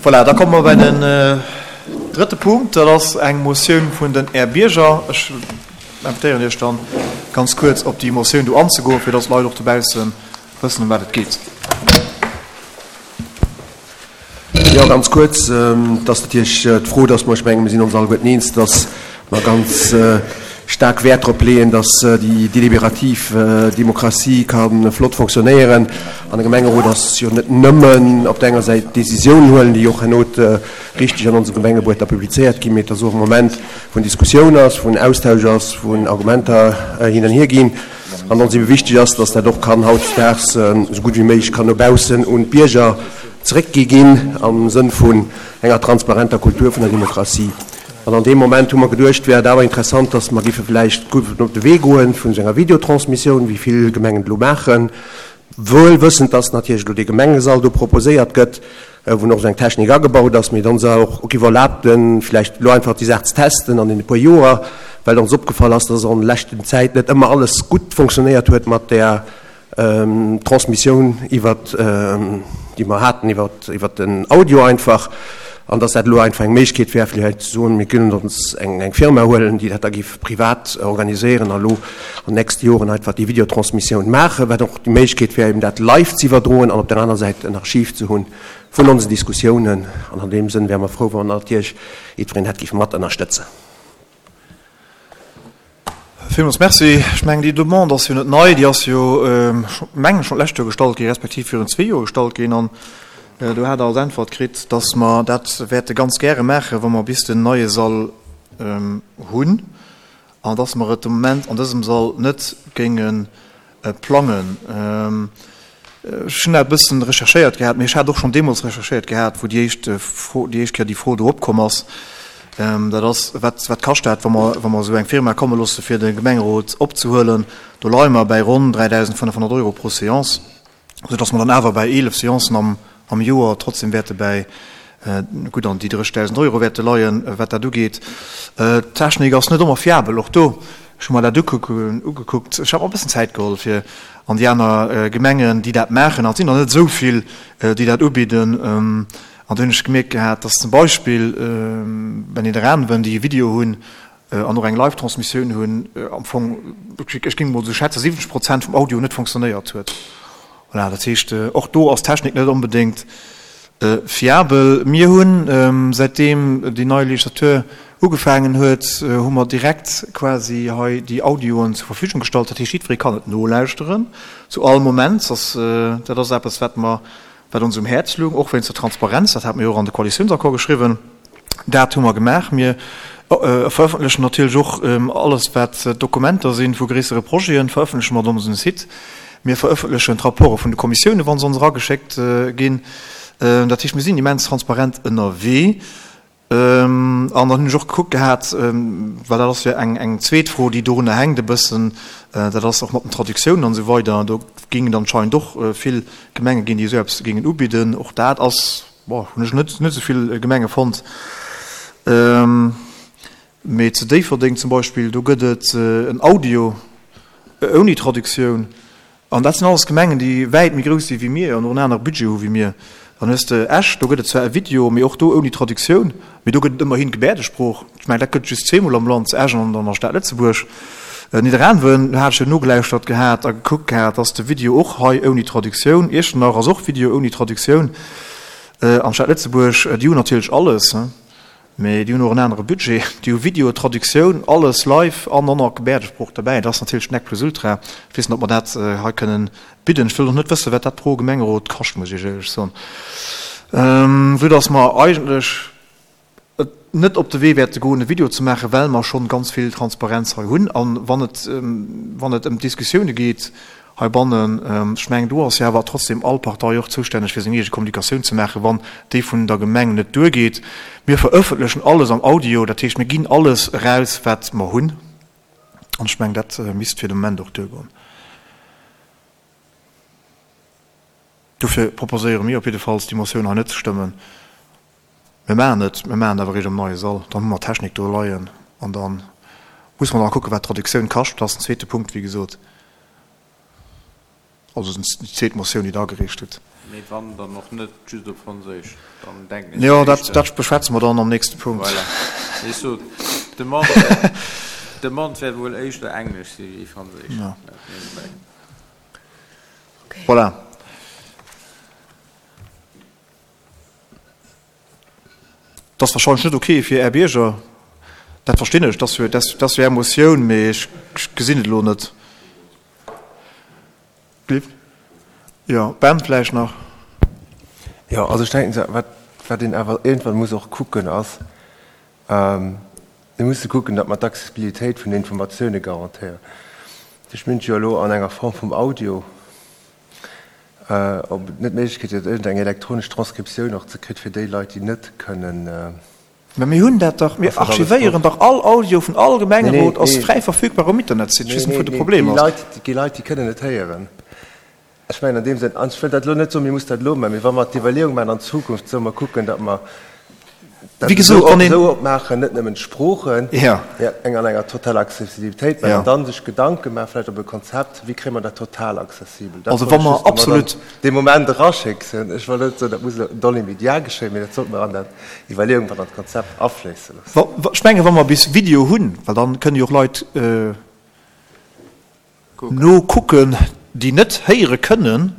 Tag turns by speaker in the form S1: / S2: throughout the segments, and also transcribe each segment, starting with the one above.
S1: Voilà, da komme mer bei den drëtte Punkt. Dat ass eng Motioun vun den Är Bierger. Ech invitéieren Iech dann, ganz kuerz op déi Motioun do anzegoen, fir dass d'Leit och dobausse wëssen, ëm wat et geet.
S2: Jo, ganz kuerz, Et ass natierlech d'Fro, dass mer, ech mengen, mir sinn ons alleguerten eens, dass mer ganz staark Wäert drop leeën, dass déi deliberativ Demokratie ka flott fonctionnéieren. An de Gemengerot ass jo net nëmmen op der enger Säit Décisiounen huelen, déi och herno richteg an onsem Gemengebuet da publizéiert ginn, mee et ass och e Moment, wou en Diskussioun ass, wou en Austausch ass, wou en Argumenter hin an hier ginn. An ons ebe wichteg ass, dass dat och kann hautdesdaags esou gutt wéi méiglech kann no baussen un d'Bierger zeréckgi ginn am Sënn vun enger transparenter Kultur vun der Demokratie. An an deem Moment hu mer geduecht, wär et awer interessant, dass mer géife vläicht op de Wee goe vun esou enger Videotransmissioun, wéi vill Gemengen et elo maachen, wuel wëssend, dass natierlech elo dee Gemengesall do proposéiert gëtt, wou och esou eng Technik agebaut ass, mee et ons och giff erlaabt, vläicht elo einfach déi Saach ze testen an e puer Joer, well ons opgefall ass, dass an leschten Zäit net ëmmer alles gutt fonctionnéiert huet mat där Transmissioun iwwert, déi mer haten iwwert, iwwert den Audio einfach, an dass dat elo einfach eng Méiglechkeet wär, vläicht ze soen, mir kënnen ons eng, eng Firma huelen, déi dat da giff privat organiséieren a lo an nächste Joren einfach déi Videotransmissioun maachen, wat och déi Méiglechkeet wär, eben dat live ze iwwerdroen an op der aner Säit en Archiv ze hunn vun onsen Diskussiounen. An an deem Sënn wäre mer frou, wann natierlech jiddwereen dat géif mat ënnerstëtzen.
S1: Villmools Merci. Ech mengen, déi Demande ass jo net nei. Déi ass jo, mengen ech, schonn d'lescht Joer gestallt ginn, respektiv virun zwee Joer gestallt ginn. An do hat Der als Äntwert kritt, dass mer dat wäerte ganz gäre maachen, wa mer bis den neie Sall hunn, an dass mer et de Moment an dësem Sall net géinge plangen. Ech hunn dat e bëssen recherchéiert gehat, mee ech hat och schonn deemools recherchéiert gehat, wou déi éischt Fro, déi éischt Kéier déi Fro do opkomm ass. Dat ass, wat, wat kascht dat, wa mer, wa mer esou eng Firma komme loosse fir de Gemengerot opzehuelen? Do leie mer bäi ronn 3.500 Euro pro Seance, soudass mer dann awer bäi 11 Seancen am, am Joer trotzdem wäerte bäi gutt an déi 30.000 Euro wäerte leien, wat dat ugeet. D'Technik ass net ëmmer fiabel, och do, ech hu mer dat ugekuckt, ech hat mer e bëssen Zäit geholl fir an déi aner Gemengen, déi dat maachen, an et sinn der net esou vill, déi dat ubidden, an do hunn ech gemierkt gehat, dass zum Beispill bei Nidderaanwen, déi e Video hunn an och eng Live-Transmissioun hunn, am Fong, ech géing emol esou schätzen, 70 Prozent vum Audio net fonctionnéiert huet. Voilà, dat heescht, och do ass d'Technik net onbedéngt fiabel. Mir hunn, säitdeem déi nei Legislatur ugefaangen huet, hu mer direkt quasi hei déi Audioen zur Verfügung gestallt. Dat heescht, jiddweree kann et nolauschteren zu all Moment. Dat ass eppes, wat mer, wat ons um Häerz lung, och wéinst der Transparenz. Dat hate mer jo och an de Koalitiounsaccord geschriwwen. Dat hu mer gemaach. Mir verëffentlechen natierlech och alles, wat Dokumenter si vu gréissere Projeten, verëffentleche mer op onsem Site. Mir verëffentlechen d'Rapporte vun de Kommissiounen, wa se ons erageschéckt ginn. Dat heescht, mir sinn immens transparent ënnerwee. An dann hunn ech och gekuckt gehat, well dat ass jo eng zweet Fro, déi dorunner hänkt e bëssen, dat ass och mat den Traductiounen an esou weider. Do géing et anscheinend och vill Gemenge ginn, déi esou eppes géingen ubidden. Och dat ass, bon, hunn ech net esou vill Gemenge fonnt. Mee zu Déifferdeng zum Beispill, do gëtt et en Audio ouni Traductioun. An dat sinn alles Gemengen, déi wäit méi grouss si wéi mir an och en anere Budget hu wéi mir. Dann hues de Esch, do gëtt et zwar e Video, mee och do ouni Traductioun, mee do gëtt et ëmmerhin Gebäerdesprooch. Ech mengen, dat gëtt et just zweemol am Land, zu Esch an an der Stad Lëtzebuerg. Nidderaanwen, do hat ech jo nogelauschtert gehat a gekuckt gehat, ass de Video och hei ouni Traductioun. Iechternach ass och Video ouni Traductioun. An d'Stad Lëtzebuerg, déi hunn natierlech alles. Mee déi hunn och en anere Budget. Déi hu Video, Traductioun, alles live an och nach Gebäerdesprooch derbäi. Dat ass natierlech nec plus ultra. Ech weess net, ob mer dat hei kënnen bidden. Ech wëll och net wëssen, wat dat pro Gemengerot kascht, muss ech Iech éierlech soen. Vue dass mer eigentlech et net op de Wee wäerte goen, e Video ze maachen, well mer schonn ganz vill Transparenz hei hunn. A wann et, wann et ëm d'Diskussioune geet, Heibannen, ech mengen, do ass jo awer trotzdem all Partei och zoustänneg, fir seng eege Kommunikatioun ze maachen, wann déi vun der Gemeng net duergeet. Mir verëffentlechen alles am Audio, dat heescht, mir ginn alles eraus, wat mer hunn. An ech mengen, dat misst fir de Moment och duergoen. Dofir proposéiere mir op jiddefalls, déi Motioun hei net ze stëmmen. Mir maachen et, mir maachen et awer eréischt am neie Sall. Dann hu mer d'Technik do leien an da musse mer nach kucken, wat d'Traductioun kascht. Dat ass den zweete Punkt, wéi gesot, also déi zweet Motioun, déi Der agereecht hutt.
S3: Mee wann, dann och net just op Franséisch. Dann
S1: denken ech Jo, dat, dat beschwätze mer dann am nächste Punkt.
S3: Voilà. Ech sot, d'Demande, d'Demande wäert wuel éischter Englesch si wéi Franséisch.
S1: Ja. Voilà. Dat ass wahrscheinlech net ok fir Är Bierger, dat verstinn ech, dat ass jo Är Motioun, mee ech gesinn et elo net. Jo, Ben vläicht nach.
S2: Jo, also ech denken, wat, wat een awer iergendwann muss och kucken ass, mir musse kucken, datt mer d'Accessibilitéit vun den Informatioune garantéieren. Ech minn jo elo an enger Form vum Audio. Ob et net d'Méiglechkeet gëtt, iergendeng elektronesch Transkriptioun och ze kritt fir déi Leit, déi net kënnen.
S1: Mä mir hunn dat dach, mir archivéieren dach all Audio vun all Gemengerot ass fräi verfügbar um Internetsite. Ech weess net, wou de Problem
S2: ass. Nee, déi Leit, déi kënnen net héieren. Ech mengen an deem Sënn, an ech wëll dat elo net soen, mir mussen dat elo maachen, mee wa mer d'Iwwerleeung maachen an Zukunft, solle mer kucken, datt mer dat esou opmaachen, net nëmmen d'Sproochen, mee eng an enger totaler Accessibilitéit maachen an dann sech Gedanke maachen, vläicht op e Konzept, wéi kréie mer dat total accessibel. Dat
S1: wollt ech just emol
S2: an dee Moment eraschécksen. Ech wëll net soen, dat muss elo dans l'immédiat geschéien, mee dat sollte mer an dat Iwwerleeung, an dat Konzept afléisse
S1: loossen. Ech mengen, wa mer bis Video hunn, well dann kënne jo och Leit Nokucken, déi net héiere kënnen.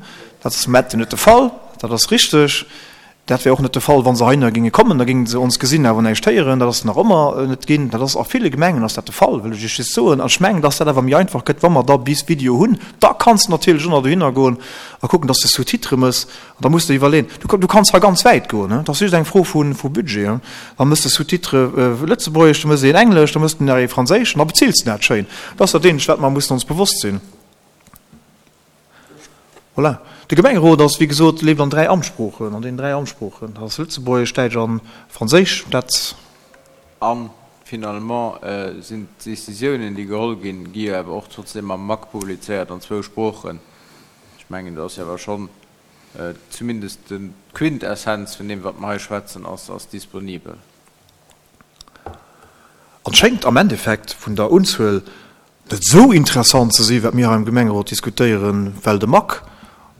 S1: Dat ass am Moment net de Fall, dat ass richteg. Dat wär och net de Fall, wa se heihinner géinge kommen, da géinge se ons gesinn, awer näischt héieren. Dat ass nach ëmmer net ginn. Dat ass a ville Gemengen ass dat de Fall, wëll ech Iech just soen. An ech mengen, dass dat awer méi einfach gëtt, wa mer da bis Video hunn. Da kanns de natierlech och nach dohinner goen a kucken, dass de Sous-titrë mëss. An da muss de iwwerleeën, du, du kanns hei ganz wäit goen, dat ass just eng Fro vu, vu Budget. Da mëss de Sous-titre Lëtzebuergesch, da mëss de een Englesch, da mëss de nach ee Franséisch an da bezills de dat schéin. Dat ass dat eenzegt, wat mer mussen ons bewosst sinn. Voilà. De Gemengerot ass, wéi gesot, leeft an 3 Amtssproochen, an deenen 3 Amtssproochen, dat ass Lëtzebuergesch, Däitsch a Franséisch. Dat.
S3: A finalement sinn d'Décisiounen, déi geholl ginn, gi jo awer och trotzdem am MAC publizéiert an zwou Sproochen. Ech mengen, do ass jo awer schonn zumindest d'Quintessenz vun deem, wat mer hei schwätzen, ass, ass disponibel.
S1: An schéngt am Endeffekt vun der Unzuel net esou interessant ze si wat mir hei am Gemengerot diskutéieren, well de MAC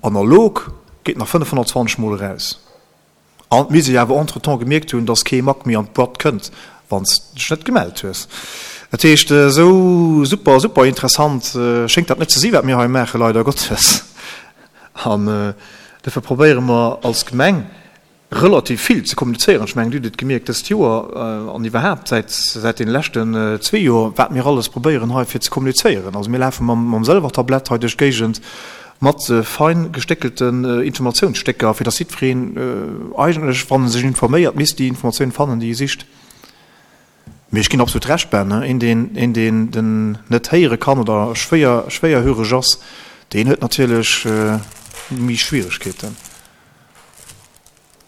S1: analog geet nach 520 mol eraus. An mir si awer entretemps gemierkt hunn, dass kee Mac méi an d'Boîte kënnt, wann s de dech net gemellt hues. Dat heescht, esou super, super interessant schéngt dat net ze si wat mir hei maachen, leider Gottes. An dofir probéiere mer als Gemeng relativ vill ze kommunizéieren. Ech mengen, Dir hutt et gemierkt dëst Joer an iwwerhaapt säit, säit deene leschten zwee Joer, wat mir alles probéieren hei fir ze kommunizéieren. Also mir lafe mam, mam Sëlwertablett hei duerch d'Géigend, Mat fein gestéckelten Informatiounsstécker, fir dass jiddwereen eigentlech, wann e sech informéiert, misst déi Informatioun fannen, déi e sicht. Mee ech ginn absolut Recht, Ben, een, deen, een, deen den net héiere kann oder schwéier, schwéierhöreg ass, deen huet natierlech méi Schwieregkeeten.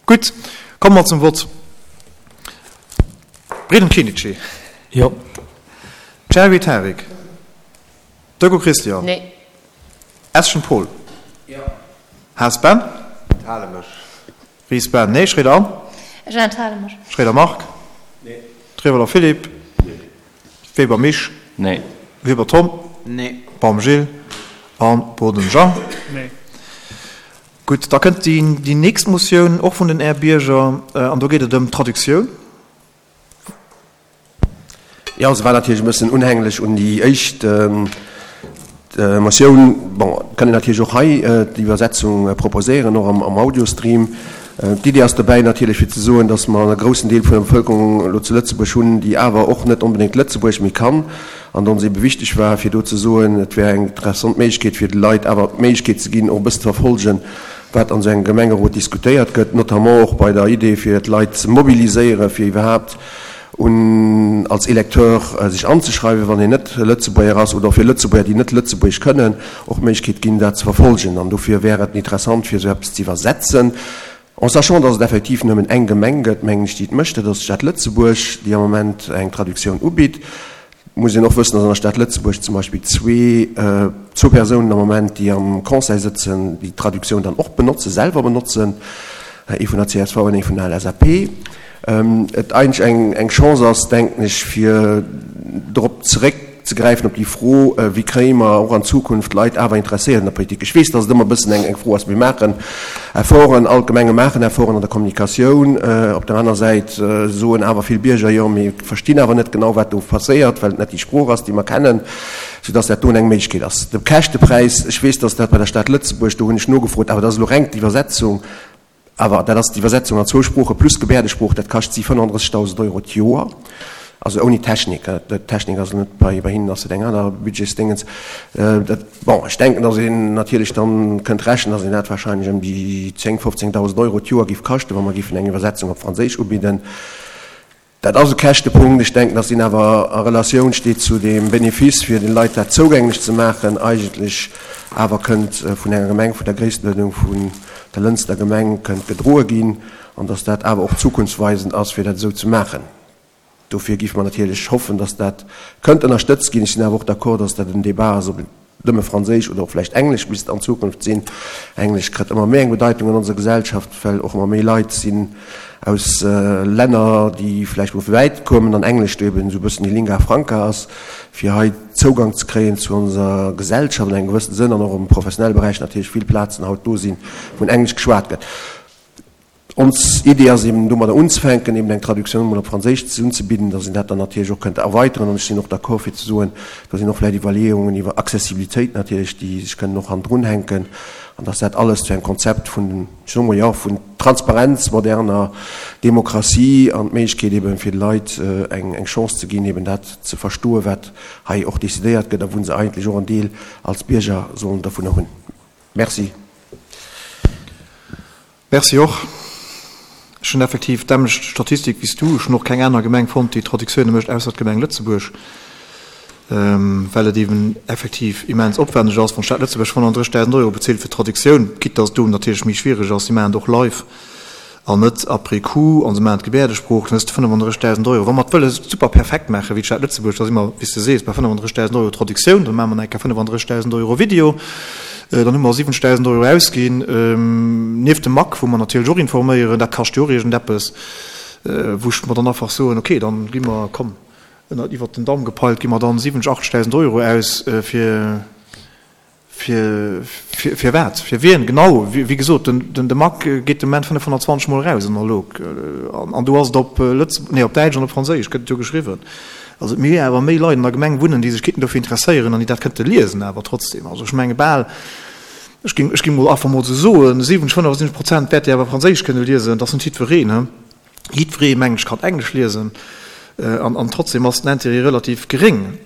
S1: Gutt, komme mer zum Vott. Bredem Kenichi.
S4: Jo.
S1: Cherry Tarik. Dögo Christian.
S5: Nee.
S1: Eschen Paul.
S3: Jo.
S1: Haas Ben.
S2: Enthale mech.
S1: Ries Ben. Nee. Schroeder Anne.
S5: Ech enthale mech.
S1: Schroeder Marc.
S3: Nee.
S1: Trewler Philippe.
S3: Nee.
S1: Weber Misch.
S3: Nee.
S1: Weber Tom.
S3: Nee.
S1: Baum Gilles an Boden Jean.
S4: Nee.
S1: Gutt, da kënnt déi nächst Motioun, och vun den Är Bierger, an do geet et ëm d'Traductioun.
S2: Jo, se war natierlech e bëssen unhänglech un déi éischt Motioun. Bon, et kann een natierlech och hei d'Iwwersetzung proposéieren, och am Audiostream. D'Idee ass dobäi natierlech fir ze soen, datt mer e groussen Deel vun der Bevëlkerung elo zu Lëtzebuerg hunn, déi awer och net onbedéngt Lëtzebuergesch méi kann, an ons ebe wichteg war, fir do ze soen, et wär eng interessant Méiglechkeet, fir de Leit awer d'Méiglechkeet ze ginn, och e bëssen ze verfolgen, wat an esou engem Gemengerot diskutéiert gëtt, notamment och bei der Idee, fir d'Leit ze mobiliséieren, fir iwwerhaapt un als Electeur sech anzeschreiwen, wann een net Lëtzebuerger ass, oder och fir Lëtzebuerger, déi net Lëtzebuergesch kënnen, och d'Méiglechkeet ginn, dat ze verfolgen. An dofir wär et interessant, fir esou eppes ze iwwersetzen. En sachant, dass et effektiv nëmmen eng Gemeng gëtt, mengen ech, déi et mécht, dat ass d'Stad Lëtzebuerg, déi am Moment eng Traductioun ubitt. Et muss een och wëssen, dass an der Stad Lëtzebuerg zum Beispill zwee, zwou Persounen am Moment, déi am Conseil sëtzen, déi d'Traductioun dann och benotzen, selwer benotzen, ee vun der csv an ee vun der LSAP. Et eigentlech eng, eng Chance ass, denken ech, fir drop zeréck. zréckzegräifen op déi Fro, Wéi kréie mer och an Zukunft d'Leit awer interesséiert an der Politik? Ech weess, dass et ëmmer e bëssen eng Fro ass. Mir maachen Efforten, all d'Gemenge maachen Efforten an der Kommunikatioun. Op der aner Säit soen awer vill Bierger, Jo, mir verstinn awer net genau, wat do passéiert, well et net déi Sprooch ass, déi mer kennen, soudass dat do eng Méiglechkeet ass. De Käschtepräis, ech weess, dass dat bei der Stad Lëtzebuerg, do hunn ech nogefrot, awer dat ass elo reng d'Iwwersetzung, Awer dat ass d'Iwwersetzung an zwou Sprooche plus Gebäerdesprooch, dat kascht si 35.000 Euro d'Joer, also ouni Technik. D'Technik ass net bei, bei hinnen ass et eng aner Budgetsdéngens. Dat, bon, ech denken, datt een natierlech dann kënnt rechnen, datt een dat wahrscheinlech ëm déi 10, 15.000 Euro d'Joer géif kaschten, wa mer géifen eng Iwwersetzung op Franséisch ubidden. Dat ass e Käschtepunkt. Ech denken, dass deen awer a Relatioun steet zu deem Benefice, fir de Leit dat zougänglech ze maachen, eigentlech awer kënnt vun enger Gemeng vun der Gréisstenuerdnung vun der Lënster Gemeng kënnt gedroe ginn an dass dat awer och zukunftsweisend ass, fir dat esou ze maachen. Dofir géife mer natierlech hoffen, dass dat kënnt ënnerstëtzt ginn. Ech sinn awer och d'accord, dass dat en Débat ass, ob et nëmme Franséisch oder och vläicht Englesch misst an Zukunft sinn. Englesch kritt ëmmer méi eng Bedeitung an onser Gesellschaft, well och ëmmer méi Leit sinn aus Länner, déi vläicht mol vu wäit kommen an Englesch do eben esou e bëssen déi Lingua franca ass, fir hei Zougang ze kréien zu onser Gesellschaft an engem gewëssene Sënn an och am professionelle Beräich natierlech vill Plazen haut do sinn, wou Englesch geschwat gëtt. Ons Idee ass eben domadder unzefänken, eben eng Traductioun emol op Franséisch unzebidden, dass een dat dann natierlech och kënnt erweiteren. An ech sinn och d'accord fir ze soen, do sinn och vläicht Iwwerleeungen iwwer Accessibilitéit natierlech, déi sech kënnen och hannendrunhänken, an dass dat alles zu engem Konzept vun, ech soe mol, jo, vun Transparenz, moderner Demokratie an d'Méiglechkeet eben fir de Leit eng eng Chance ze ginn, eben dat ze verstoen, wat hei och decidéiert gëtt a wou se eigentlech och en Deel als Bierger sollen dovunner hunn. Merci.
S1: Merci och. Ech hunn effektiv d'ämmlecht Statistik wéi s du. Ech hunn och keng aner Gemeng fonnt, déi Traductioune mécht, ausser d'Gemeng Lëtzebuerg, well et eben effektiv immens opwänneg ass, wann d'Stad Lëtzebuerg 35.000 Euro bezilt fir d'Traductioun, quitte dass et do natierlech méi schwiereg ass. Si maachen et och live an net après coup an se maachen d'Gebäerdesprooch, dann hues de 35.000 Euro. Wa mer et wëlle super perfekt maachen, wéi d'Stad Lëtzebuerg, da si mer, wéi s de sees, bei 35.000 Euro Traductioun, dann maache mer nach eng Kéier 35.000 Euro Video. Dann hu mer 70.000 Euro ausginn, nieft dem MAC, wou mer natierlech och informéieren, dat kascht jo och iergendeppes, wou ech mer dann einfach soen, okay, dann gi mer, komm, ënner, iwwert den Daum gepeilt, gi mer dann 70, 80.000 Euro aus fir, fir, fir, fir wat, fir wien genau? Wéi gesot, den, den, de MAC geet de Moment 520 Mol eraus analog, an, an do ass et op Lëtz-, nee, op Däitsch an op Franséisch gëtt et jo geschriwwen. Also et méi awer méi Leit an der Gemeng wunnen, déi sech kéinten dofir interesséieren an déi dat kënnte liesen awer trotzdem. Also ech menge bal, ech géing, ech géing mol einfach mol esou soen, 70, 75 Prozent wäerte awer Franséisch kënne liesen. Dat ass net jiddwereen, he. Jiddweree, mengen ech, kann Englesch liesen an, an trotzdem ass den Intérêt relativ geréng.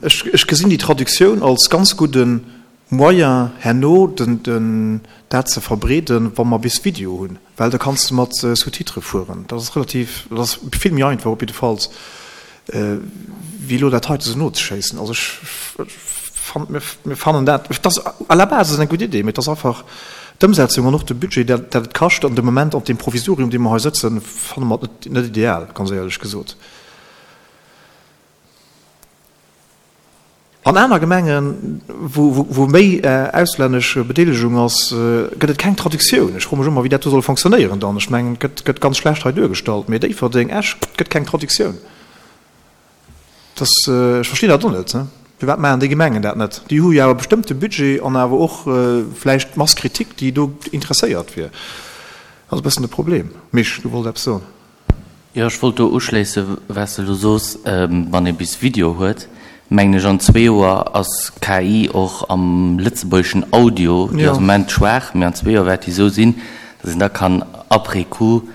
S1: Ech, ech gesinn déi Traductioun als ganz gudde Moyen herno den, den, dat ze verbreeden, wa mer bis Video hunn. Well da kanns de mat Sous-titrë fueren. Dat ass relativ, dat ass vill méi einfach op jiddefalls, wéi elo dat heite sou nozeschéissen. Also ech fannen, mir, mir fannen dat, et ass à la base ass et eng gutt Idee, mee et ass einfach d'Ëmsetzung an och de Budget, dat dat et kascht an de Moment op deem Provisorium, dee mer hei sëtzen, fanne mer et net, net ideal, ganz éierlech gesot. An aner Gemengen, wou méi auslännesch Bedeelegung ass, gëtt et keng Traductioun. Ech froe mech ëmmer, wéi dat do soll fonctionnéieren dann. Ech mengen, et gëtt ganz schlecht hei duergestallt, mee Déifferdeng, Esch, et gëtt keng Traductioun. Dat, ech verstinn dat och net. Firwat maachen déi Gemengen dat net? Déi hu jo awer bestëmmt de Budget an awer och vläicht d'Masse critique, déi do interesséiert wier. Dat ass e bëssen de Problem. Misch, du wolls eppes soen?
S3: Jo, ech wollt do uschléisse wat s de elo soos, wann ee bis Video huet, mengen ech an zwee Joer ass KI och am lëtzebuergeschen Audio, déi ass am Moment schwaach, mee an zwee Joer wäert déi esou sinn, datt een da kann après coup,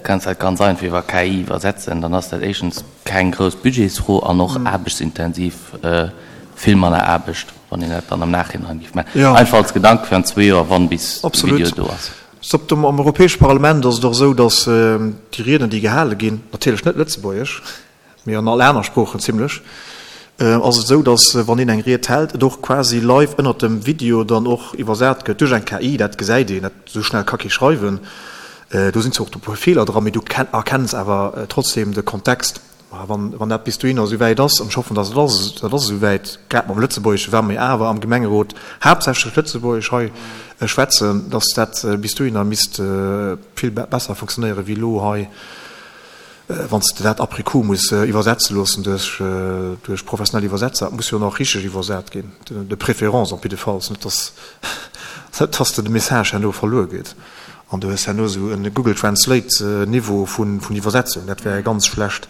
S3: kanns dat ganz einfach iwwer KI iwwersetzen, dann ass dat éischtens keng grouss Budgetsfro an och aarbechtsintensiv vill manner Aarbecht, wann een dat dann am Nachhinein géif maachen. Einfach als Gedanke fir an zwee Joer, wann bis de Video do ass.
S1: Stop, am Europäesche Parlament ass et och esou, datt déi Rieden, déi gehale ginn, natierlech net Lëtzebuergesch, mee an all aner Sproochen zimlech, ass et esou, datt wann een eng Ried hält, et och quasi live ënnert dem Video dann och iwwersat gëtt duerch eng KI. Dat gesäit een, dat esou schnell ka kee schreiwen. Do sinn zwar och e puer Feeler dran, mee du erkenns awer trotzdem de Kontext. Ma wann dat bis dohinner esou wäit ass, an ech hoffen, datt et ass, dat ass esou wäit, grad mam Lëtzebuergesche, well mir awer am Gemengerot haaptsächlech Lëtzebuergesch hei schwätzen, datt dat bis dohinner misst vill besser funktionéieren, wéi elo hei. Wann s de dat après coup muss iwwersetze loossen duerch, duerch professionell Iwwersetzer, et muss jo nach richteg iwwersat ginn, de préférence op jiddefalls, net dass, net dass de de Message herno verluer geet an du hues herno esou e Google Translate Niveau vun, vun Iwwersetzung, dat wär ganz schlecht.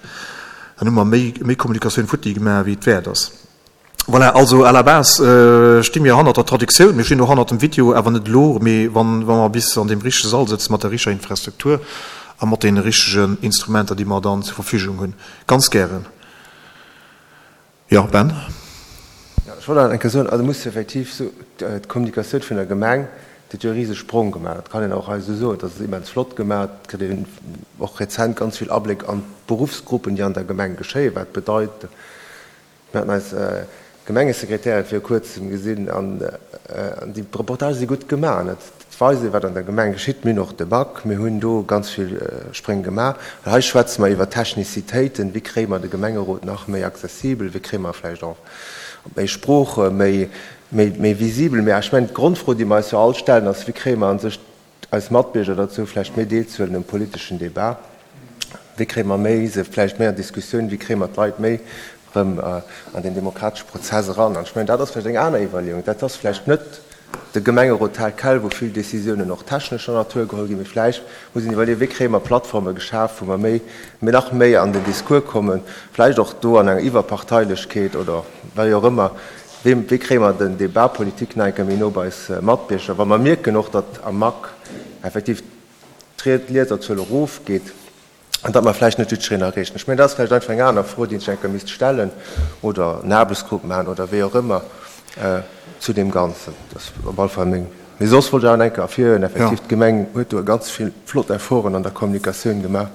S1: Dann hu mer méi, méi Kommunikatioun futti gemaach wéi et wäert ass. Voilà, also à la base sti mir hannert der Traductioun, mir stinn och hannert dem Video, awer net elo, mee wann wa mer bis an deem richtege Sall sëtzen, mat der richteger Infrastruktur a mat deene richtegen Instrumenter, déi mer dann zur Verfügung hunn. Ganz gären. Jo, Ben?
S2: Jo, ech wollt nach eng Kéier soen, also muss effektiv soen, d'Kommunikatioun vun der Gemeng, déi huet jo e riseg Sprong gemaach. Dat kann een och hei esou soen, dat ass immens flott gemaach. Et kritt een och rezent ganz vill Abléck an d'Beruffsgruppen, déi an der Gemeng geschéien, wat bedeit, Mir haten eis Gemengesekretärin viru kuerzem gesinn an déi Reportagë si gutt gemaach. Et weist ee wat an der Gemeng geschitt. Mir hunn och de Bac, mir hunn do ganz vill Spréng gemaach. Well hei schwätze mer iwwer Technizitéiten, wéi kréie mer de Gemengerot nach méi accessibel, wéi kréie mer vläicht och op méi Sprooche méi visibel. Mä ech mengen d'Grondfro déi mer eis jo all stellen ass, wéi kréie mer a sech eis Matbierger derzou, vläicht méi deelzehuelen um politeschen Débat? Wéi kréie mer méi se vläicht méi an d'Diskussioun? Wéi kréie mer d'Leit méi erëm an deen demokratesche Prozess eran? An ech mengen, dat ass vläicht eng aner Iwwerleeung. Dat ass vläicht net de Gemengerot tel quel, wou vill Décisiounen och technescher Natur geholl ginn, mee vläicht muss een iwwerleeën, wéi kréie mer Plattforme geschaf, wou mer méi, nach méi an den Discours kommen, vläicht och do an enger Iwwerparteilechkeet oder wéi och ëmmer, Wéi, wéi kréie mer den Débat politique nach eng Kéier méi no bei eis Matbierger, wa mer mierken och, datt am MAC effektiv d'Lieserzuel erofgeet an datt mer vläicht net jiddwereen erreechen? Ech mengen, dat ass vläicht einfach eng aner Fro, déi een sech eng Kéier misst stellen oder en Aarbechtsgrupp maachen oder wéi och ëmmer zu deem Ganzen. Dat ass op alle Fall meng. Mee soss wollt ech awer nach eng Kéier ervirhiewen, effektiv, d'Gemeng huet do ganz vill flott Efforten an der Kommunikatioun gemaach,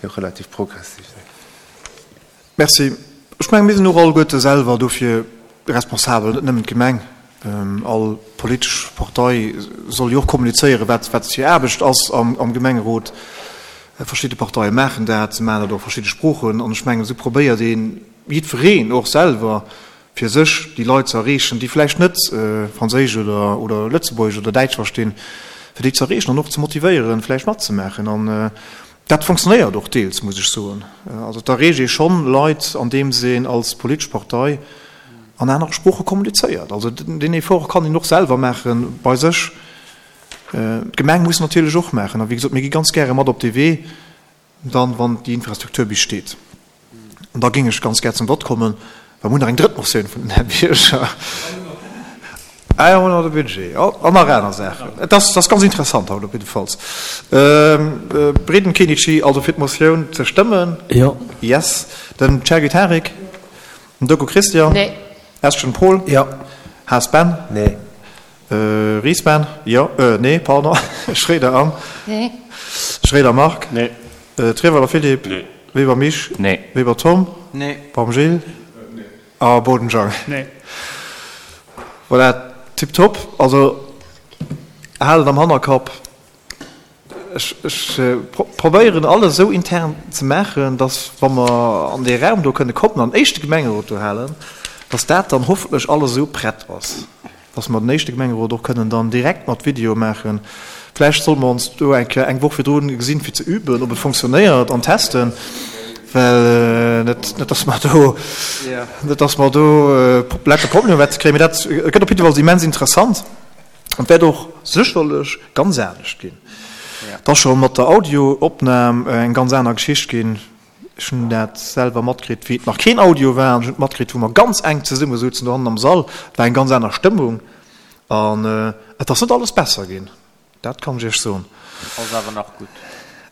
S2: déi och relativ progressiv sinn.
S1: Merci. Ech mengen, mir sinn och alleguerte selwer dofir responsabel, net nëmmen d'Gemeng. All politesch Partei soll jo och kommunizéieren, wat wat hir Aarbecht ass am Gemengerot. Verschidde Parteie maachen dat, se maachen dat och a verschidde Sproochen. An ech mengen, esou probéiert een, jiddwereen och selwer fir sech, déi Leit ze erreechen, déi vläicht net Franséisch oder oder Lëtzebuergesch oder Däitsch verstinn, fir déi ze erreechen an och ze motivéieren, vläicht matzemaachen. An Dat funktionéiert och deels, muss ech soen. Also et erreecht ee schonn Leit, andeems een als politesch Partei an anere Sprooche kommunizéiert. Also deen Effort kann een och selwer maache bei sech. D'Gemeng muss natierlech och maachen. A wéi gesot, mir gi ganz gäre mat op dee Wee, dann, wann déi Infrastruktur bis steet. An da géing ech ganz gär zum Vott kommen, well mir hunn nach eng drëtt Motioun vun den Här Bierger. Ah jo, nach de Budget an nach aner Saachen. Et ass, et ass ganz interessant haut op jiddefalls. Breden Kenichi, also fir d'Motioun ze stëmmen?
S4: Jo.
S1: Yes. Den Chergui Tarik? Den Doku Christian?
S5: Nee.
S1: Eschen Paul?
S2: Jo.
S1: Haas Ben?
S2: Nee.
S1: Ries Ben? Jo, nee, pardon. Schroeder Anne?
S5: Nee.
S1: Schroeder Marc?
S6: Nee.
S1: Treweiler Philippe?
S6: Nee.
S1: Weber Misch?
S3: Nee.
S1: Weber Tom?
S3: Nee.
S1: Baum Gilles?
S6: Nee.
S1: A Boden Jang?
S6: Nee.
S1: Voilà, tiptop. Also haalt et am Hannerkapp. Ech, ech probéieren alles esou intern ze maachen, dass, wa mer an dee Raum do kënne kommen an den éischte Gemengerot do halen, dass dat dann hoffentlech alles esou prett ass, dass mer den éischte Gemengerot och kënnen dann direkt mat Video maachen. Vläicht solle mer ons do eng Kéier eng Woch virdrun gesinn, fir ze üben, ob et fonctionnéiert an testen, well net, net dass mer do, net dass mer do lauter Problemer wäerte kréien. Mee dat gëtt op jiddefalls immens interessant. An et wäert och sécherlech ganz anescht ginn. Et ass scho mat der Audioopnam eng ganz aner Geschicht ginn. Ech hunn dat selwer matkritt, wéi et nach keen Audio war. An ech hunn et matkritt, wou mer ganz enk zesumme souzen dohannen am Sall. Et war eng ganz aner Stëmmung. An et ass net alles besser ginn, dat kann ech Iech soen.
S3: Ass awer nach gutt.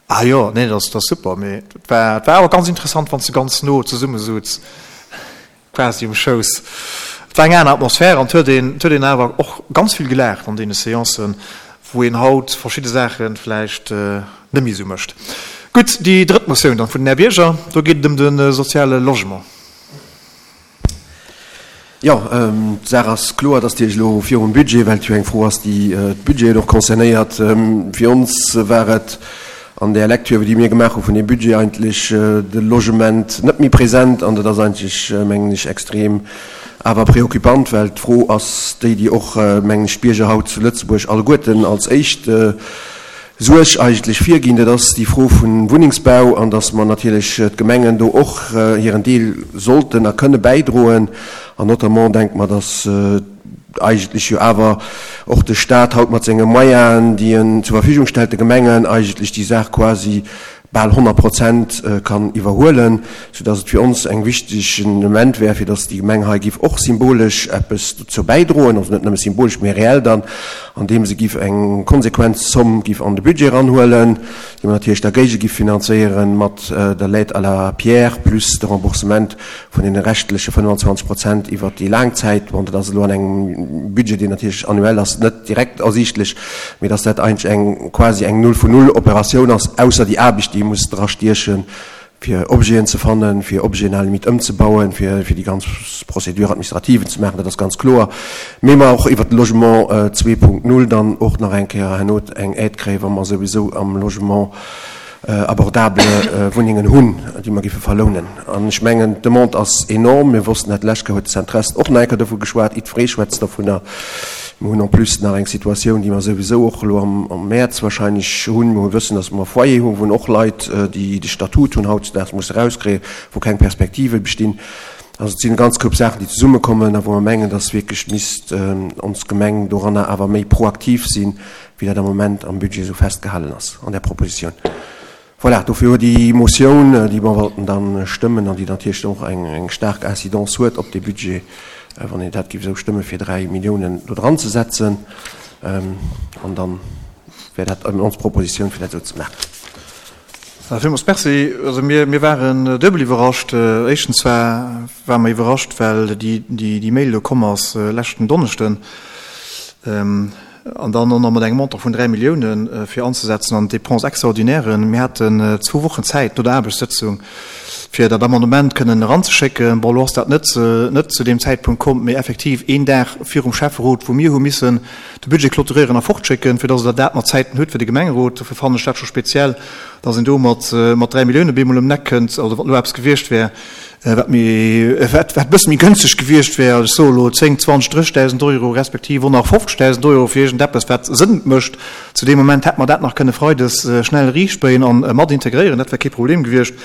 S1: Ah jo, nee, dat ass super. Mee et war, et war awer ganz interessant, wann s de ganz no zesumme souz. Quasi um Schouss. Et war eng aner Atmosphär an et huet een, et huet een awer och ganz vill gelaacht an deene Seancen, wou een haut verschidde Saache vläicht net méi esou mécht. Gutt, déi drëtt Motioun dann vun den Här Bierger, do geet et ëm de soziale Logement.
S2: Jo, d'Saach ass kloer, dass déi elo virum Budget, well et jo eng Fro ass, déi d'Budgeten och concernéiert. Fir ons war et An där Lecture, déi mir gemaach hu vun deem Budget, eigentlech de Logement net méi present. An dat ass eigentlech, mengen ech, extrem awer préoccupant, well d'Fro ass déi, déi och, mengen ech, d'Bierger haut zu Lëtzebuerg alleguerten als éischt. Suerg eigentlech virginn, dat ass déi Fro vun Wunnengsbau an dass mer natierlech d'Gemengen do och hiren Deel sollten a kënne bäidroen. An notamment denke mer, dass eigentlech jo awer och de Stat haut mat senge Moyenen, déi en zur Verfügung stellt, de Gemengen eigentlech déi Saach quasi bal 100 Prozent kann iwwerhuelen, soudass et fir ons eng wichtegen Element wär, fir dass déi Gemeng hei giff och symbolesch eppes dozou bäidroen, also net nëmme symbolesch, mä reell dann, andeem se giff eng konsequent Zomm giff an de Budget eranhuelen, déi mer natierlech da géige giff finanzéieren mat der L'aide à la pierre plus de Remboursement vun deene reschtleche 25 Prozent iwwert déi laang Zäit. Bon, dat ass elo an engem Budget, deen natierlech annuell ass, net direkt ersiichtlech, mee dass dat eigentlech eng quasi eng Null-vun-Null-Operatioun ass, ausser déi Aarbecht, déi ee muss drastiechen, fir Objeten ze fannen, fir Objeten à la limite ëmzebauen, fir déi ganz Procédure administrative ze maachen, dat ass ganz kloer. Mee mer och iwwert de Logement 2.0 dann och nach eng Kéier herno eng Aide kréien, wa mer souwisou am Logement abordable Wunnengen hunn, déi mer géife verlounen. An ech mengen, d'Demande ass enorm. Mir wossten dat, d'lescht Kéier huet de Centrest och nach eng Kéier dovu geschwat, jiddweree schwätzt dovunner. Mir hunn en plus nach eng Situatioun, déi mer souwisou och elo am Mäerz wahrscheinlech hunn. Mir wëssen, datt mer Foyer hunn, wou och Leit, déi de Statut hunn, hautdesdaags musse erauskréien, wou keng Perspektive bestinn. Also et sinn e ganz Koup Saachen, déi zesummekommen a wou mer mengen, datt wierklech misst ons Gemeng doranner awer méi proaktiv sinn, wéi dat am Moment am Budget esou festgehalen ass an där Proposition. Voilà, dofir huet déi Motioun, déi mer wollten da stëmmen an déi natierlech och eng staark Incidence huet op dee Budget, wann een dat géif esou stëmmen, fir 3 Milliounen do dran ze setzen, an da wär dat ons Proposition, fir dat esou ze maachen.
S1: Villmools Merci. Also mir, mir waren duebel iwwerrascht. Éischtens war, ware mer iwwerrascht, well déi, déi, déi Mail do komm ass leschten Donneschden. An dann och nach mat engem Montant vun 3 Milliounen fir anzesetzen an d'Dépenses extraordinairen. Mir haten zwou Wochen Zäit no der Aarbechtssëtzung, fir dat Amendement kënnen eranzeschécken. Bon, elo ass dat net, net zu deem Zäitpunkt komm, mee effektiv een Dag virum Schäfferot, wou mir hu missen de Budget clôturéieren a fortschécken, fir dass Der dat mat Zäiten hutt fir de Gemengerot. Dofir fannen ech dat scho speziell, dass een do mat, mat 3 Milliounen bemol ëm d'Eck kënnt. Also wann elo eppes gewiescht wär, wat méi, wat, wat e bësse méi gënschteg gewiescht wär, ech soe elo 10, 20, 30.000 Euro respektiv och nach 50.000 Euro fir iergendeppes, wat Sënn mécht, zu deem Moment hätt mer dat nach kënne freides schnell riichtbéien a mat integréieren, dat wär kee Problem gewiescht.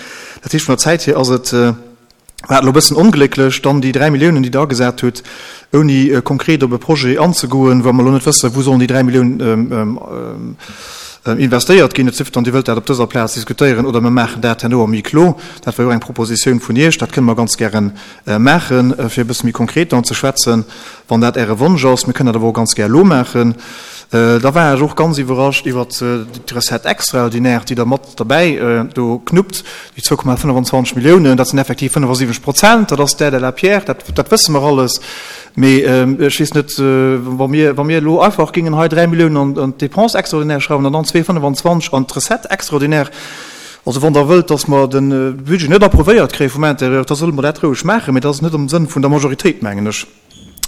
S1: Dat heescht, vun der Zäit hier ass et, war et elo e bëssen onglécklech, dann déi 3 Milliounen, déi Der agesat hutt, ouni konkret op e Projet anzegoen, wa mer elo net wëssen, wou sollen déi 3 Milliounen investéiert ginn. Et sief dann, Dir wëllt dat op dëser Plaz diskutéieren oder mer maachen dat herno am Huis clos. Dat war jo och eng Propositioun vun Iech. Dat kënne mer ganz gäre maachen, fir e bësse méi konkret dann ze schwätzen, wann dat Äre Wonsch ass. Mir kënnen dat awer och ganz gär elo maachen. Da war ech och ganz iwwerrascht iwwert d'Recette extraordinaire, déi Der mat derbäi do knuppt, déi 2,25 Milliounen. Dat sinn effektiv 75 Prozent, dat ass d'Aide à la pierre, dat, dat wësse mer alles. Mee ech weess net, wa mir, wa mir elo einfach géingen hei 3 Milliounen an, an d'Dépenses extraordinaires schrauwen an dann 2,25 an d'Recette extraordinaire, also wann Der wëllt, datt mer de Budget net approuvéiert kréie vum Intérieur, da solle mer dat roueg maachen. Mee dat ass net am Sënn vun der Majoritéit, mengen ech.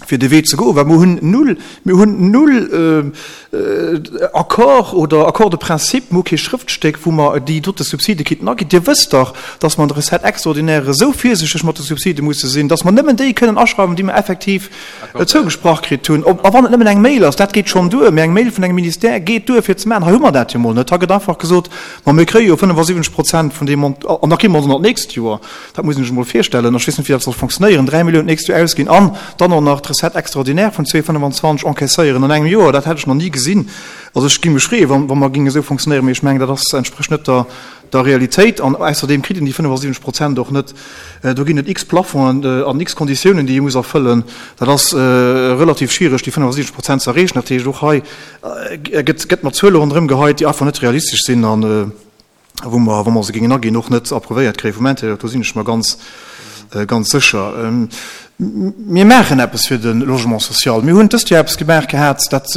S1: fir dee Wee ze goen, well mer hunn null, mir hunn null Accord oder Accord de principe, mir hu kee Schrëftstéck, wou mer déi dote Subside kinnten aginn. Dir wësst dach, dass mer an der Recette extraordinaire esou virsichteg mat de Subside musse sinn, dass mer nëmmen déi kënnen aschreiwen, déi mer effektiv zougesprach kritt hunn. A wann et nëmmen eng Mail ass, dat geet schonn duer, mee eng Mail vun engem Ministère geet duer fir ze maachen. Hei hu mer dat jo mol net. Hei gëtt einfach gesot, ma mir kréie jo 75 Prozent vun deem Mont, an da kréie mer se nach d'nächst Joer. Dat muss een sech emol virstellen. Ech weess net, wéi dat soll fonctionnéieren, 3 Milliounen d'nächst Joer ausginn an dann och nach d'Recette extraordinaire vun 2,25 encaisséieren an engem Joer. Dat hätt ech nach ni gesinn. Also ech géing mech freeën, wa wa mer géinge esou fonctionnéieren, mee ech mengen, dat ass, entsprécht net der der Realitéit. An ausserdeem kritt een déi 75 Prozent och net. Do ginn et x Plafongen an x Konditiounen, déi ee muss erfëllen. Dat ass relativ schwiereg, déi 75 Prozent ze erreechen. Dat heescht, och hei gëtt gëtt mat Zuele ronderëm geheit, déi einfach net realistesch sinn an, wou mer, wa mer se géingen aginn, och net approuvéiert kréie vum Intérieur, do sinn ech mer ganz, ganz sécher. Mir maachen eppes fir de Logement social. Mir hunn dëst Joer eppes gemaach gehat, dat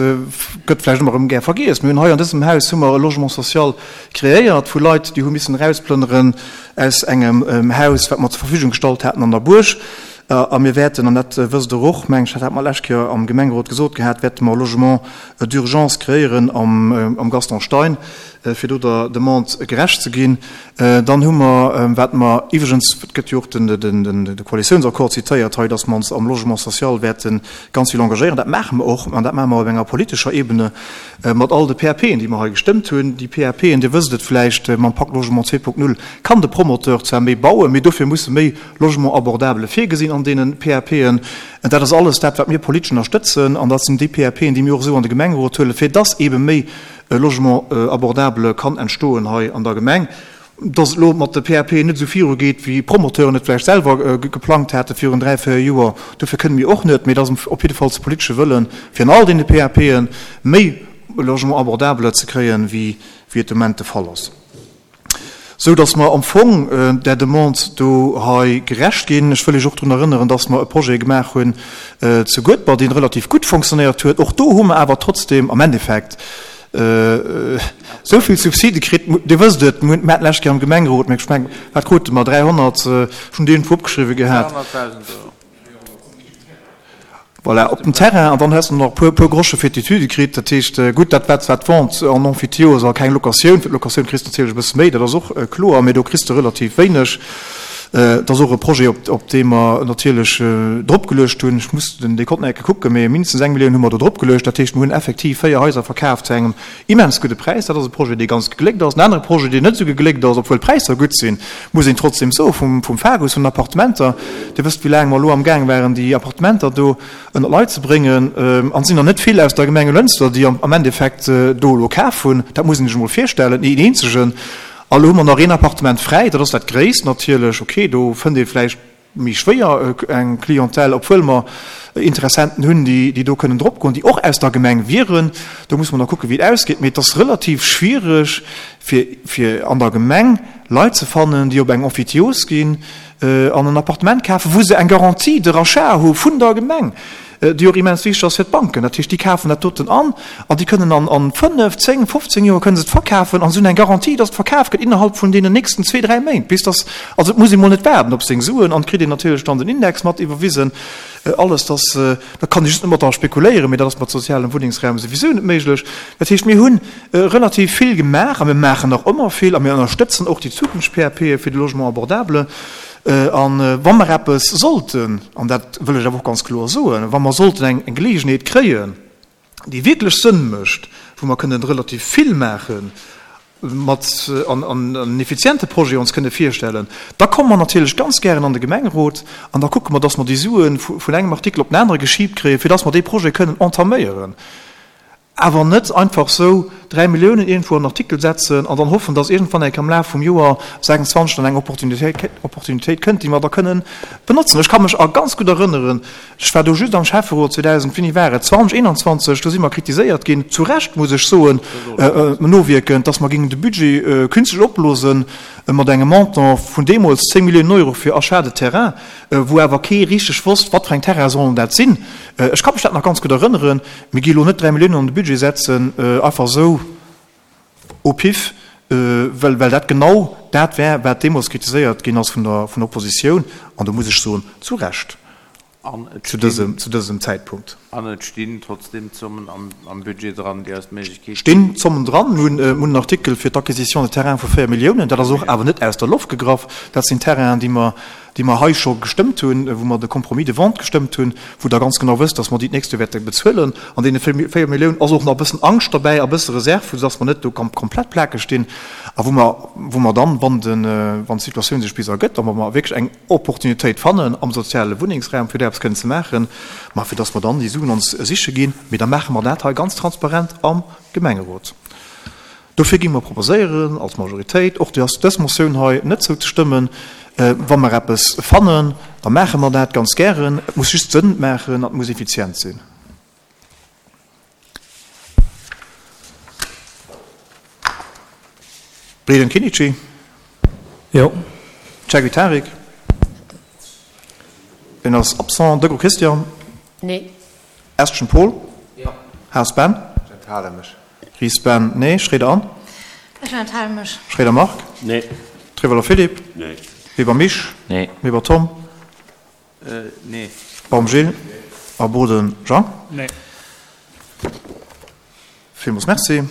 S1: gëtt vläicht ëmmer erëm gär vergiess. Mir hunn hei an dësem Haus hu mer e Logement social kreéiert vu Leit, déi hu missen erausplënneren aus engem Haus, wat mer zur Verfügung gestallt haten an der Buerg. A mir wäerten, an dat wësst Der och, meng ech, dat hat mer d'lescht Kéier am Gemengerot gesot gehat, wäerte mer e Logement d'urgence kreéieren am Gaston Stein. fir do der Demande gerecht ze ginn. Dann hu mer, wat mer iwwregens, et gëtt jo och de Koalitiounsaccord zitéiert hei, dass mer ons am Logement social wäerte ganz vill engagéieren. Dat maache mer och, an dat maache mer op enger politescher Ebene mat all de PAPen, déi mer hei gestëmmt hunn. Déi PAPen, Dir wësst et vläicht, mam Pacte Logement 2.0 kann de Promoteur zwar méi bauen, mee dofir musse méi Logements abordables virgesinn an deene PAPen. Dat ass alles dat, wat mir politesch ënnerstëtzen, an dat sinn déi PAPen, déi mir och esou an de Gemengerot huelen, fir dass eebe méi e Logement abordable kann entstoen hei an der Gemeng. Dass et elo mat de PAPen net esou virugeet, wéi d'Promoteuren et vläicht selwer geplangt hate virun 3, 4 Joer, dofir kënne mir och net. Mee et ass op jidde Fall de politesche Wëllen, fir an all deene PAPe méi Logement abordable ze kréien, wéi et de Moment de Fall ass. Sou dass mer am Fong där Demande do hei gerecht ginn. Ech wëll Iech och drun erënneren, dass mer e Projet gemaach hunn zu Guedber, dee relativ gutt fonctionnéiert huet. Och do hu mer awer trotzdem am Endeffekt esou vill Subside kritt. Dir wësst et, mir haten d'lescht Kéier am Gemengerot, ech mengen, wat krute mer, 300, ech hunn déi iergendwou opgeschriwwen gehat.
S3: 300.000 Euro.
S1: Voilà, op dem Terrain, an dann hues de nach e puer, puer Grosche fir d'Etüde kritt. Dat heescht, gutt, dat war zwar d'Vente en emphytéose a keng Locatioun. Fir d'Locatioun kriss de natierlech e bësse méi, dat ass och kloer, mee do kriss de relativ wéineg. Et ass och e Projet, op, op dee mer natierlech dropgeluecht hunn. Ech muss den Dekont nach eng Kéier kucken, mee mindestens eng Millioun hu mer do dropgeluecht. Dat heescht, mer hunn effektiv 4 Haiser verkaf zu engem Immens gudde Präis. Dat ass e Projet, dee ganz gegléckt ass. En anere Projet, deen net esou gegléckt ass, obwuel d'Präisser gutt sinn, muss een trotzdem soen, vum, vum Fagus, vun den Appartementer. Dir wësst, wéi laang mer elo amgaang waren, déi Appartementer do ënner d'Leit ze bréngen. An et sinn der net vill aus der Gemeng Lënster, déi am, am Endeffekt do elo kaf hunn. Dat muss een sech emol virstellen, een eenzegen. A elo hu mer nach een Appartement fräi. Dat ass dat gréisst natierlech. Okay, do fënnt ee vläicht méi schwéier eng Clientèle, obwuel mer Interessenten hunn, déi do kënnen dropgoen, déi och aus der Gemeng wieren. Do muss mer nach kucken, wéi et ausgeet. Mee et ass relativ schwierig, fir, fir an der Gemeng Leit ze fannen, déi op eng Emphytiose ginn an en Appartement kafen, wou se eng Garantie de rachat hu vun der Gemeng. déi och immens wichteg ass fir d'Banken. Dat heescht, déi kafen dat doten an an déi kënnen an 5, 10, 15 Joer kënnen se et verkafen an se hunn eng Garantie, dass et verkaf gëtt innerhalb vun deenen nächsten zwee, dräi Méint, bis dass, also et muss ee mol net waarden op seng Suen an et kritt een natierlech dann den Index mat iwwerwisen, alles. Dass, da kann ee just net mat dra spekuléieren, mee dat ass mat sozialem Wunnengsraum souwisou net méiglech. Dat heescht, mir hu relativ vill gemaach a mir maachen nach ëmmer vill a mir ënnerstëtzen och déi Zukunfts-PAPe fir de Logement abordable. A wa mer eppes sollten, an dat wëll ech awer och ganz kloer soen, wa mer sollten eng Geleegenheet kréien, déi wierklech Sënn mécht, wou mer kënnen relativ vill maachen mat an en effiziente Projet ons kënne virstellen, da komme mer natierlech ganz gären an de Gemengerot an da kucke mer, dass mer déi Sue vun engem Artikel op den anere geschiibt kréien, fir dass mer dee Projet kënnen entaméieren. Awer net einfach sou 3 Milliounen iergendwou an en Artikel setzen an dann hoffen, dass iergendwann eng Kéier am Laf vum Joer 26 dann eng Opportunitéit kënnt, déi mer da kënnen benotzen. Ech ka mech a ganz gutt erënneren, ech war do just am Schäfferot 2000, wéini war et, 2021, do si mer kritiséiert ginn, zu Recht muss ech soen, nowierkend, dass mer géingen de Budget künstlech opblosen mat engem Montant vun deemools 10 Milliounen Euro fir Achat de terrain, wou awer kee richteg wosst, wat fir eng Terraine sollen dat sinn. Ech ka mech dat nach ganz gutt erënneren. Mir gi elo net 3 Milliounen an de Budget setzen, einfach esou au pif, well well dat genau dat wär, wat deemools kritiséiert ginn ass vun der vun der Oppositioun, an do muss ech soen, zu Recht zu dësem zu dësem Zäitpunkt.
S3: An et stinn trotzdeem Zommen am am Budget dran, déi eis d'Méiglechkeet ginn.
S1: Stinn Zommen dran. Mir hunn mir hunn en Artikel fir d'Acquisition de terrains vu 4 Milliounen. Dat ass och awer net aus der Loft gegraff. Dat sinn Terrainen, déi mer déi mer hei scho gestëmmt hunn, wou mer de Compromis de vente gestëmmt hunn, wou Der ganz genau wësst, dass mer déi d'nächst Joer wäerte bezuelen. An deene 4 Milliounen ass och nach e bëssen Angscht derbäi a bësse Reserv, vu dass mer net do komplett plakeg stinn a wou mer, wou mer dann, wann de, wann d'Situatioun sech bis ergëtt a wa mer wierklech eng Opportunitéit fannen am soziale Wunnengsraum, fir do eppes kënnen ze maachen, ma fir dass mer dann déi Suen ons siche ginn. Mee da maache mer dat hei ganz transparent am Gemengerot. Dofir gi mer proposéieren als Majoritéit, och dës Motioun hei net zouzestëmmen. Wa mer eppes fannen, da maache mer dat ganz gären. Et muss just Sënn maachen an et muss effizient sinn. Breden Kinnici.
S4: Jo.
S1: Cagri Tarik. Deen ass absent. Deco Christian.
S5: Nee.
S1: Estgen Paul.
S3: Jo.
S1: Haas Ben.
S2: Ech enthale mech.
S1: Ries Ben, Nee. Schroeder Anne.
S5: Ech enthale mech.
S1: Schroeder Marc.
S6: Nee.
S1: Trewelder Philippe.
S6: Nee.
S1: Weber Misch.
S6: Nee.
S1: Weber Tom.
S3: Nee.
S1: Baum Gilles. Nee. A Boden Jean.
S4: Nee.
S1: Villmools Merci.